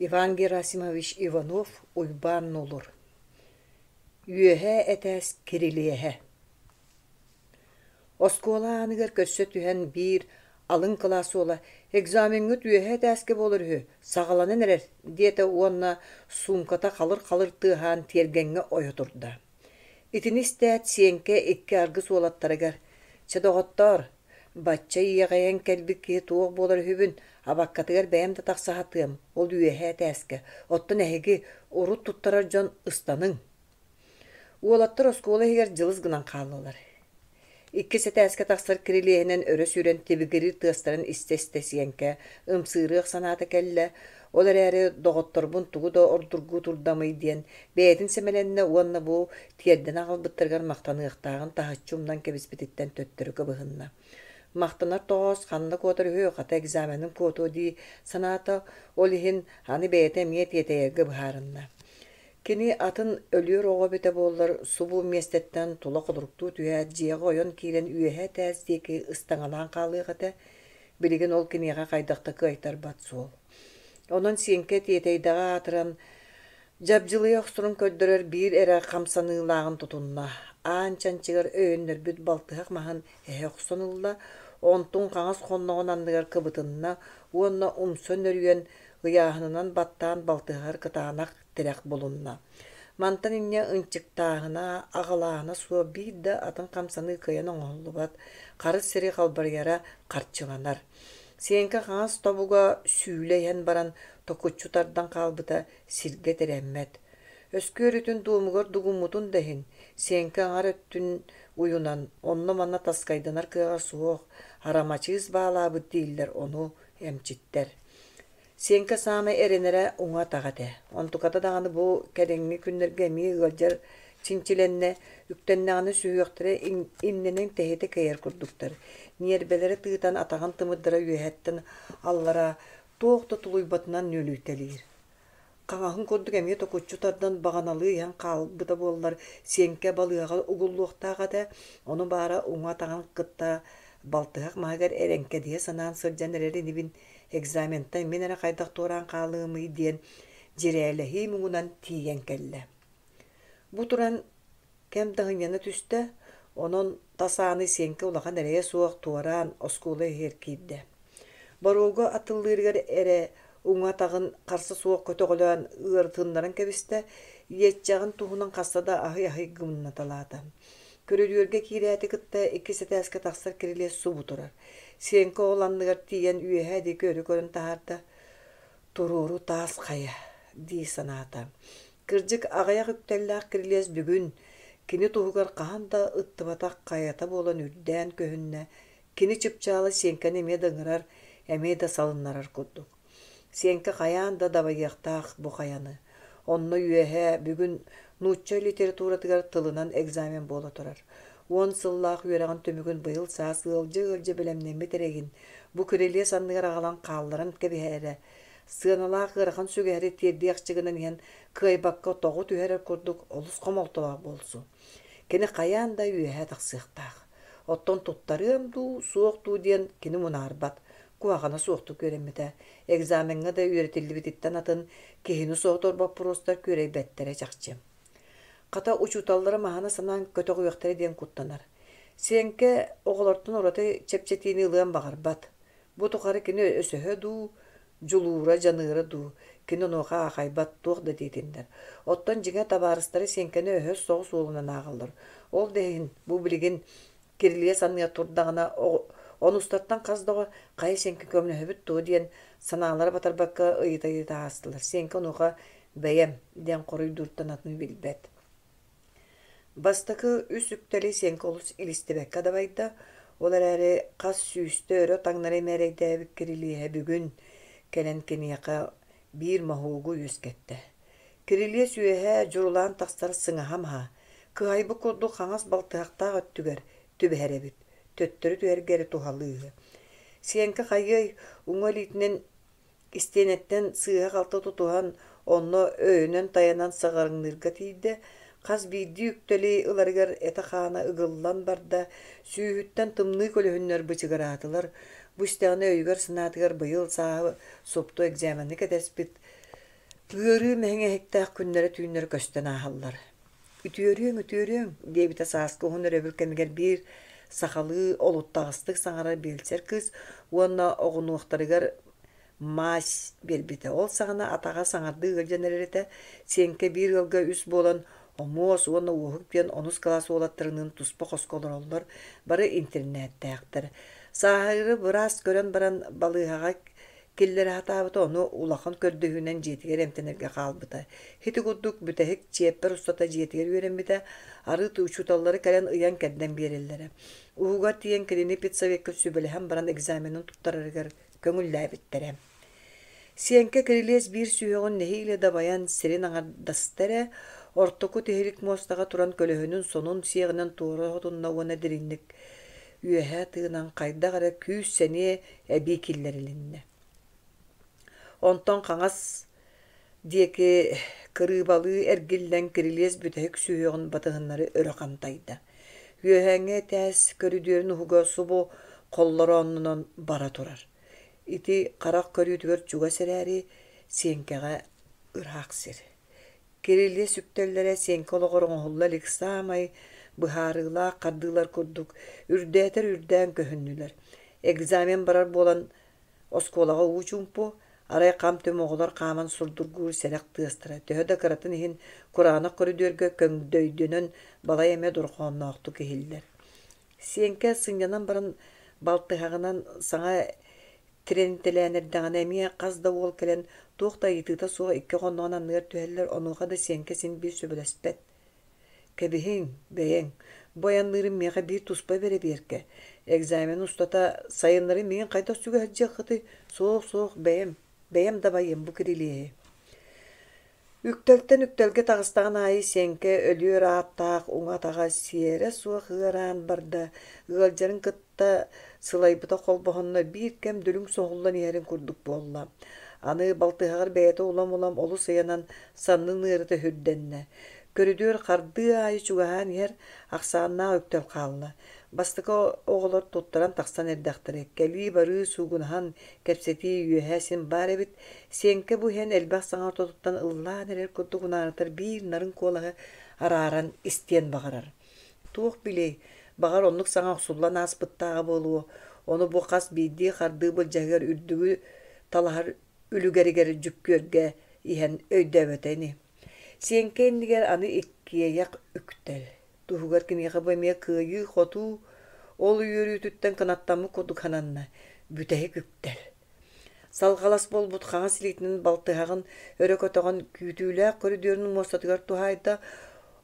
Иван Герасимович Иванов Уйбаан Нолур Үөһээ этээс кирилиэһэ Оскуола ааныгар көрсө түһэн биир алын кылаас уола «Экзамеҥҥыт үөһээ этээскэ буолар үһү, саҕаланан эрэр» диэтэ уонна суумката халыр-халыр тыаһаан тиэргэҥҥэ ойо турда. Итини истээт Сиэҥкэ икки аргыс уолаттарыгар: «Чэ, доҕоттоор, бачча иэҕэйэн кэлбит киһи туох буолар үһүбүн, абаккатыгар бэйэм да тахса сатыам, ол үөһээ этээскэ, оттон эһиги урут туттарар дьон ыстаныҥ». Уолаттар оскуола иһигэр дьылыс гынан хааллылар. Иккис этээскэ тахсар кирилиэһинэн өрө сүүрэн тибигириир тыастарын истэ-истэ Сиэҥкэ ымсыырыах санаата кэллэ, ол эрээри доҕотторбун тугу да ордургуу турдамый диэн бэйэтин сэмэлэннэ уонна бу тиэрдэн аҕалбыттарыгар махтаныахтааҕын таһыччы умнан кэбиспититтэн төттөрү кыбыһынна. Махтанар тоҕоос ханна куотар үһү, хата экзаменын куотуо дии санаата, ол иһин аны бэйэтэ эмиэ тиэтэйэргэ быһаарынна. Кини атын өлүөр оҕо эбитэ буоллар, субу миэстэттэн тула холоруктуу түһээт, дьиэҕэ ойон киирэн үөһэ этээс диэки ыстаҥалаан хаалыах этэ, билигин ол киниэхэ хайдах да кыайтарбат суол. Онон Сиэҥкэ тиэтэйдэҕэ аатыран, дьабдьылыйа охсорун көрдөрөр биир эрэ хамсаныылааҕын тутунна, аан чанчыгар өйөннөрбүт балтыһах маһын эһэ охсон ылла, онтун хаҥас хонноҕун анныгар кыбытынна уонна умса нөрүйэн, ыйааһынынан баттаан балтыһар кытаанах тирэх булунна. Мантан инньэ ынчыктааһына, аҕалааһына суох биир да атын хамсаныы кыайан оҥоһуллубат, харыс сири халбарыйара харчыланар. Сиэҥкэ хаҥас тобуга сүүлэ иһэн баран токуччу тардан хаалбыта сиргэ тирэммэт. Өскүөрүтүн дуомугар дугуммутун да иһин, Сиэҥкэ аҥар өттүн уйунан, онно-манна таскайданар кыаҕа суох, арамачыыс баалаабыт дииллэр ону эмчиттэр. Сиэҥкэ саамай эрэнэрэ уҥа атаҕа этэ. Онтуката даҕаны бу кэлиҥҥи күннэргэ эмиэ ыалдьар чинчилэннэ, үктэннэҕинэ сүһүөхтэрэ иннинэн тэһитэ кэйэр курдуктар. Ньиэрбэлэрэ тыытан атаҕын тымырдара үөһэттэн аллара туох да тулуйбатынан нүөлүйтэлиир. Хаҥаһын курдук эмиэ токуччу тардан баҕаналыы иһэн хаалбыта буоллар, Сиэҥкэ балыыһаҕа угуллуохтаах этэ, ону баара уҥа атаҕын кытта балтыһах маһыгар эрэҥкэдийэ санаан сылдьан эрэр инибин экзаментан мин эрэ хайдах туораан хаалыамый диэн дьирээлэһии муҥунан тиийэн кэллэ. Бу туран кэм да ынньана түстэ, онон тас ааны Сиэҥкэ улахан эрэйэ суох туораан оскуола иһигэр киирдэ. Боруогу атыллыырыгар эрэ уҥа атаҕын харса суох көтөҕөлөөн ыарытыннаран кэбистэ, иэччэҕин туһунан хаста да аһый-аһый гымнаталаата. Көрүдүөргэ киирээти кытта иккис этээскэ тахсар кирилиэс субу турар. Сиэҥкэ ол анныгар тиийэн үөһээ диэки өрө көрөн таһаарда, «Туруору таас хайа» дии санаата. Кырдьык, аҕыйах үктэллээх кирилиэс бүгүн кини туһугар хаһан да ыттыбатах хайата буолан үрдээн көһүннэ, кини чыпчаала Сиэҥкэни эмиэ да ыҥырар, эмиэ да салыннарар курдук. Сиэҥкэ хайаан да дабайыахтаах бу хайаны. Онно үөһэ бүгүн нуучча литературатыгар тылынан экзамен буола турар. Уон сыллаах үөрэҕин түмүгүн быйыл саас ыалдьа-ыалдьа бэлэмнэммит эрэйин бу кирилиэс анныгар аҕалан хаалларан кэбиһэрэ, сыаналаах ыарахан сүгэһэри тиэрдиэхчэ гынан иһэн кыайбакка тоҕу түһэрэр курдук олус хомолтолоох буолсу. Кини хайаан да үөһэ тахсыахтаах. Оттон туттарыам дуу, суох дуу диэн кини мунаарбат, куһаҕана суохтук үөрэммитэ. Экзамеҥҥа да үөрэтиллибититтэн атын киһини соһутар боппуруостар күөрэйбэттэрэ чахчы. Хата учууталлара маһана санаан көтөҕүөхтэрэ диэн куттанар. Сиэҥкэ оҕолортон ураты чэпчэтиини ылыан баҕарбат. Бу тухары кини өсөһө дуу, дьулуура, дьаныара дуу, кини онуоха аахайбат туох да диэтиннэр. Оттон дьиҥэ табаарыстара Сиэҥкэни өһөс соҕус уолунан ааҕаллар. Ол да иһин бу билигин кирилиэс анныгар турдаҕына онустартан хас да оҕо хайа Сиэҥкэ көмөлөһөбүт дуо диэн санаалара батарбакка ыйыта-ыйыта аастылар. Сиэҥкэ онуоха бэйэм диэн хоруйдууртан атын билбэт. Бастакы үс үктэли Сиэҥкэ олус илистибэккэ дабайда, ол эрээри хас сүүстэ өрө таҥнары мээрэйдээбит кирилиэһэ бүгүн кэлэн киниэхэ биир моһуогу үөскэттэ. Кирилиэс үөһэ дьурулаан тахсар сыҥаһа маһа, кыһайбыт курдук хаҥас балтыһахтаах өттүгэр түбэһэр эбит, төттөрү түһэргэ эрэ туһалыыһы. Сиэҥкэ хайыай, уҥа илиитинэн Истиэнэттэн сыыһа-халты тутуһан, онно өйөнөн тайанан саҕарыҥныырга тиийдэ, хас биирдии үктэли ыларыгар этэ-хаана ыгыллан барда, сүүһүттэн тымныы көлөһүннэр бычыгыраатылар. Бу истэҕинэ өйүгэр-санаатыгар быйыл сааһы супту экзамены кэтэспит Ыарыы мэҥэһиктээх күннэрэ-түүннэрэ көстөн ааһаллар. «Үтүөрүөҥ, үтүөрүөҥ» диэбитэ сааскы уһун өрөбүл кэмигэр биир сахалыы олуттаҕастык саҥарар биэлсэр кыыс уонна оҕунуохтарыгар мазь биэрбитэ. Ол саҕана атаҕа саҥардыы ыалдьан эрэр этэ. Сиэҥкэ биир ыалга үс буолан Омуос уонна Уоһук диэн онус кылаас уолаттарыныын туспа хоско олороллор, бары интэринээттээхтэр. Сааһыры быраас көрөн баран балыыһаҕа киллэрэ сатаабыта, ону улахан көрдөһүүнэн дьиэтигэр эмтэнэргэ хаалбыта. Ити курдук бүтэһик чиэппэр устата дьиэтигэр үөрэммитэ, арыт учууталлары кэлэн ыйан-кэрдэн биэрэллэрэ. Уһугар тиийэн кинини педсовекка сүбэлэһэн баран экзаменын туттарарыгар көҥүллээбиттэрэ. Сиэҥкэ кирилиэс биир сүһүөҕүн нэһиилэ дабайан сирин аҥардаста эрэ, ортоку тиһилик муостаҕа туран көлөһүнүн сонун сиэҕинэн туора сотунна уонна дириҥник үөһэ тыынан хайдах эрэ күүс-сэниэ эбии киллэрилиннэ. Онтон хаҥас диэки кырыыбалыы эргиллэн кирилиэс бүтэһик сүһүөҕүн батыһыннары өрө хантайда. Үөһээҥҥи этээс көрүдүөрүн уһуга субу холлорооннонон бара турар. Ити харах көрүүтүгэр чугас эрээри, Сиэҥкэҕэ ыраах сир. Кирилиэс үктэллэрэ Сиэҥкэ олоҕор оҥоһулла илик саамай быһаарыылаах хардыылар курдук үрдээтэр үрдээн көһүннүлэр. Экзамен барар буолан оскуолаҕа уу чуумпу, арай хам-түм оҕолор хааман сурдургуур сэрэх тыастара төһө да кыратын иһин кураанах көрүдүөргэ көҥдөйдөнөн балай эмэ дорҕоонноохтук иһиллэр. Сиэҥкэ сынньанан баран балтыһаҕынан саҥа тирэнитэлээн эрдэҕинэ эмиэ хас да уол кэлэн туох да ыйытыыта суох икки хонноҕун анныгар түһэллэр, онуоха да Сиэҥкэ син биир сөбүлэспэт. Кэбиһиҥ, бэйэҥ, бу айанныырым миэхэ биир туспа бэрэбиэркэ. Экзамен устата сайыннары миигин хайдах сүгэ сылдьыаххытый? Суох, суох, бэйэм, бэйэм дабайыам бу кирилиэһи. Үктэлтэн үктэлгэ таҕыстаҕын аайы Сиэҥкэ өлүөр ааттаах уҥа атаҕа сиэрэ суох ыараан барда, ыалдьарын кытта сылайбыта холбоһонно биир кэм дүлүҥ соһуллан иһэрин курдук буолла. Аны балтыһаҕар бэйэтэ улам-улам олус ыйанан саннын ыарыыта сүрдэннэ. Көрүдүөр хардыы аайы чугаһаан иһэр ахсааннаах үктэл хаалла. Бастакы оҕолор туттаран тахсан эрдэхтэрэ, кэлии-барыы суугунаһан, кэпсэтии үөһэ син баар эбит. Сиэҥкэ бу иһэн элбэх саҥа ортотуттан ыллаан эрэр курдук унаарытар биир нарын куолаһы арааран истиэн баҕарар. Туох билиэй, баҕар оннук саҥа охсуллан ааспыттааҕа буолуо, ону бу хас биирдии хардыы былдьаһыгар үрдүгү талаһар үлүгэригэр дьүккүөргэ иһэн өйдөөбөтө ини. Сиэҥкэ иннигэр аны иккиэйэх үктэл. Туһугар киниэхэ бу эмиэ кыайыы-хотуу, ол үөрүүтүттэн кынаттаммыт курдук сананна, бүтэһик үктэл. Салҕалас буолбут хаҥас илиитинэн балтыһаҕын өрө көтөҕөн күүтүүлээх көрүдүөрүн муостатыгар туһаайда,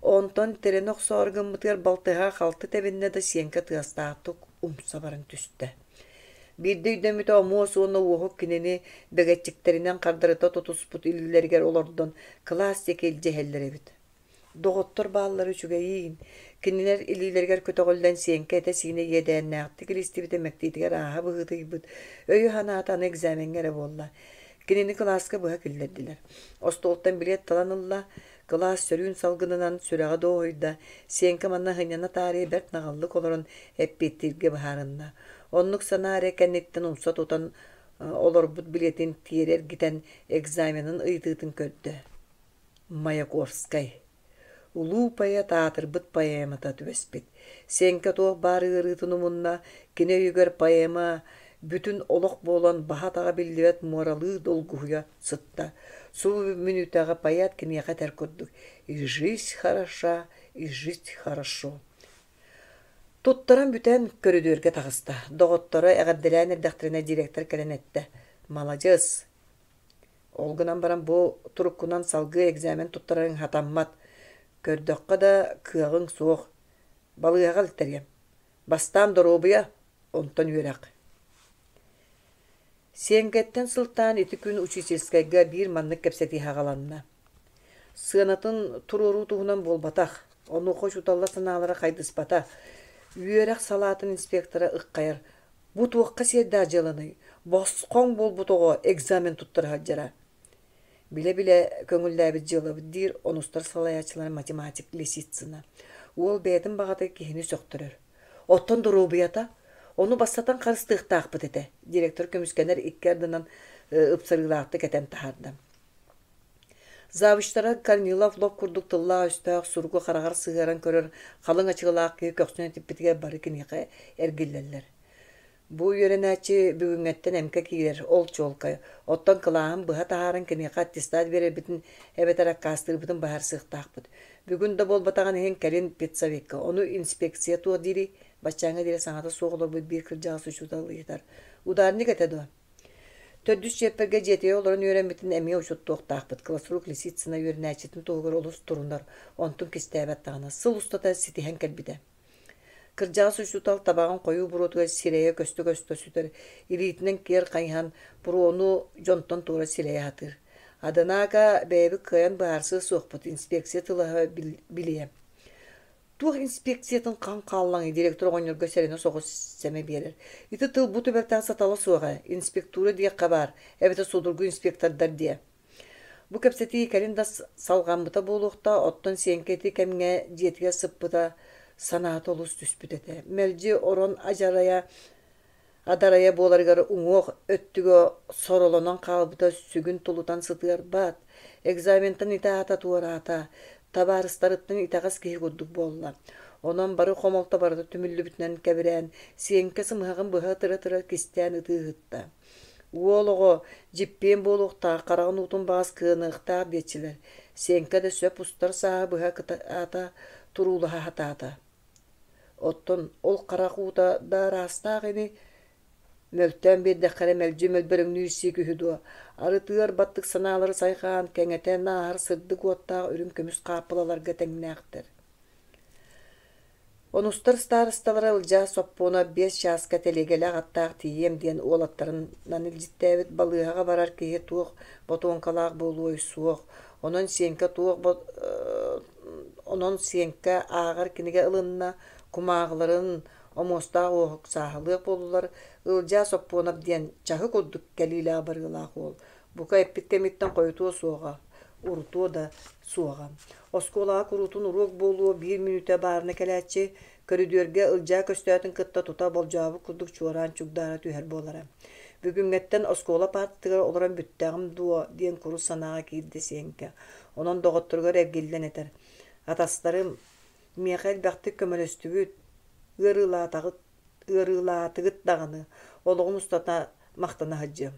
онтон тирэнэ охсоору гыммытыгар балтыһаҕа халты тэбиннэ да сиэҥкэ тыастаахтык умса баран түстэ. Биирдэ өйдөммүтэ Омуос уонна Уоһук кинини бэгэччиктэринэн хардарыта тутуспут илиилэригэр олордон кылаас диэки илдьэ иһэллэр эбит. Доҕоттор бааллара үчүгэйиин, кинилэр илиилэригэр көтөҕүллэн сиэҥкэ этэ-сиинэ иэдээннээхтик илистибитэ мэктиэтигэр ааһа быһыытыйбыт, өйө-санаата аны экзамеҥҥа эрэ буолла. Кинини кылааска быһа киллэрдилэр. Остуолтан билиэт талан ылла, кылаас сөрүүн салгынынан сүрэҕэ дуоһуйда, Сиэҥкэ манна сынньана таарыйа бэрт наҕыллык олорон эппиэттииргэ быһаарынна. Оннук санаа эрэ кэнниттэн умса тутан олорбут билиэтин тиэрэ эргитэн экзаменын ыйытыытын көрдө. Маяковскай Улуу поэт аатырбыт поэмата түбэспит. Сиэҥкэ туох баар ыарыытын умунна, кини өйүгэр поэма бүтүн олох буолан баһа-атаҕа биллибэт муоралыы долгуһуйа сытта. Субу мүнүүтэҕэ поэт киниэхэ этэр курдук «И жизнь хороша, и жить хорошо». Туттаран бүтэн көрүдүөргэ таҕыста. Доҕотторо эҕэрдэлээн эрдэхтэринэ директор кэлэн эттэ: «Маладьыас, Ол гынан баран бу туруккунан салгыы экзамен туттарарыҥ сатаммат. Көрдөххө да, кыаҕыҥ суох. Балыыһаҕа илтэриэм. Бастаан доруобуйа, онтон үөрэх. Сиэҥкэттэн сылтаан ити күн учительскайга биир маннык кэпсэтии саҕаланна. Сыанатын туруоруу туһунан буолбатах, онуоха учууталлар санаалара хайдыспата. Үөрэх салаатын инспектора ыххайар Бу туохха сиэрдээх дьыаланый? Босхоҥ буолбут оҕо экзамен туттара сылдьара. Билэ-билэ көҥүллээбит дьыалабыт диир онустар салайааччылара математик Лисицына. Уол бэйэтин баҕата киһини сөхтөрөр. Оттон доруобуйата? Ону бастатан харыстыахтаахпыт этэ, директор көмүскэнэр икки ардынан ыпсарыылаахтык этэн таһаарда. Завучтара Корнилов лоп курдук тыллаах-өстөөх суругу хараҕар сыһыаран көрөр халыҥ ачыкылаах киһи көхсүн этиппитигэр бары киниэхэ эргиллэллэр. Бу үөрэнээччи бүгүҥҥэттэн эмкэ киирэр, ол чуолкай. Оттон кылааһын быһа таһааран киниэхэ аттестат биэрэрбитин эбэтэр аккаастыырбытын быһаарсыахтаахпыт. Бүгүн да буолбатаҕын иһин кэлин педсовекка, ону инспекция туох диирий? Баччааҥҥа диэри саҥата суох олорбут биир кырдьаҕас учуутал ыйытар. Ударник этэ дуо? Төрдүс чиэппэргэ дьиэтигэр олорон үөрэммитин эмиэ учуоттуохтаахпыт. Классрук Лисицына үөрэнээччитин туһугар олус турунар, онтун кистээбэт даҕаны. Сыл устата ситиһэн кэлбитэ. Кырдьаҕас учуутал табаҕын хойуу буруотугар сирэйэ көстө-көстө сүтэр, илиитинэн киэр хайыһан, буруону дьонтон туора силэйэ сатыыр. Однако бэйэбит кыайан быһаарсыа суохпут, инспекция тылаһа билиэ. Туох инспекциятын хаҥ хааллаҥый директор оҕонньорго сэрэнэ соҕус сэмэ биэрэр. Ити тыл бу түбэлтэҕэ сатала суох ээ, инспектура диэххэ баар, эбэтэр судургу инспектордар диэ. Бу кэпсэтии кэлин да салҕаммыта буолуохтаах, оттон Сиэҥкэ ити кэмҥэ дьиэтигэр сыппыта санаата олус түспүт этэ. Мэлдьи орон адьарайа адарайа буоларыгар уҥуох өттүгэ соролонон хаалбыта сүгүн тулутан сытыарбат, экзаментан ити аата туораата, табаарыстарыттан итэҕэс киһи курдук буолла. Онон бары хомолто барыта түмүллүбүтүнэн кэбирээн, Сиэҥкэ сымыһаҕын быһа ытыра-ытыра кистээн ытыы ыһытта. Уол оҕо дьиппиэн буолуохтаах, хараҕын уутун баҕас кыаныахтаах диэччилэр. Сиэҥкэ да сөп устар сааһы быһа кытаата туруулаһа сатаата. Оттон ол харах уута да араастаах ини, мөлтөөн биэрдэххэ эрэ мэлдьи мөлбөрөҥнүүр сиик үһү дуо, арыт ыар баттык санаалары сайҕаан, кэҥэтэн ааһар сырдык уоттаах үрүҥ көмүс хааппылаларга тэҥнээхтэр. Онустар старосталара Ылдьаа Соппуона 5 чааска тэлиэгэлээх аттаах тиийиэм диэн уолаттарынан илдьиттээбит балыыһаҕа барар киһи туох ботуоҥкалаах буолуой суох, онон Сиэҥкэ туох онон Сиэҥкэ ааҕар кинигэ ылынна, кумааҕыларын омуостаах уоһук сааһылыах буоллулар, Ылдьаа Соппуонап диэн чаһы курдук кэлиилээх-барыылаах уол, бука эппит кэмиттэн хойутуо суоҕа, урутуо да суоҕа. Оскуолаҕа куруутун уруок буолуо биир мүнүүтэ баарына кэлээччи, көрүдүөргэ Ылдьаа көстөөтүн кытта тута болдьообут курдук чуораан чугдаара түһэр буолара. Бүгүҥҥэттэн оскуола паартатыгар олорон бүттэҕим дуо диэн курус санааҕа киирдэ Сиэҥкэ. Онон доҕотторугар эргиллэн этэр: «Атастарым, миэхэ элбэхтик көмөлөстүгүт, ыарыылаатаҕыт, ыарыылаатыгыт даҕаны, олоҕум устата махтана сылдьыам.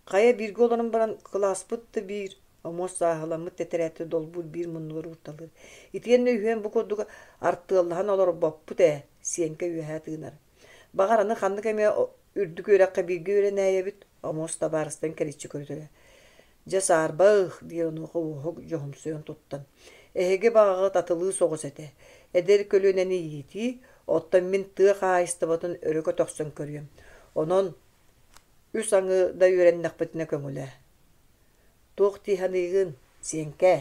Хайа бииргэ олорон баран кылааспыт да биир, омуос сааһыламмыт тэтэрээти долбуур биир муннугар уурталыыр. Итиэннэ үһүөн бу курдук артыаллаһан олорбоппут ээ, Сиэҥкэ үөһэ тыынар. Баҕар аны ханнык эмэ үрдүк үөрэххэ бииргэ үөрэнээйэбит, омуос табаарыстан кэриччи көрүтэрэ. Дьэ саарбах, диир онуоха Уоһук дьоһумсуйан туттан. Эһиги баҕаҕыт атылыы соҕус этэ. Эдэр көлүөнэни иитии, оттон мин тыа хаһаайыстыбатын өрө көтөхсөн көрүөм. Онон Үс аҥы да үөрэннэхпитинэ көҥүлэ. Туох дии саныыгын, Сиэҥкээ?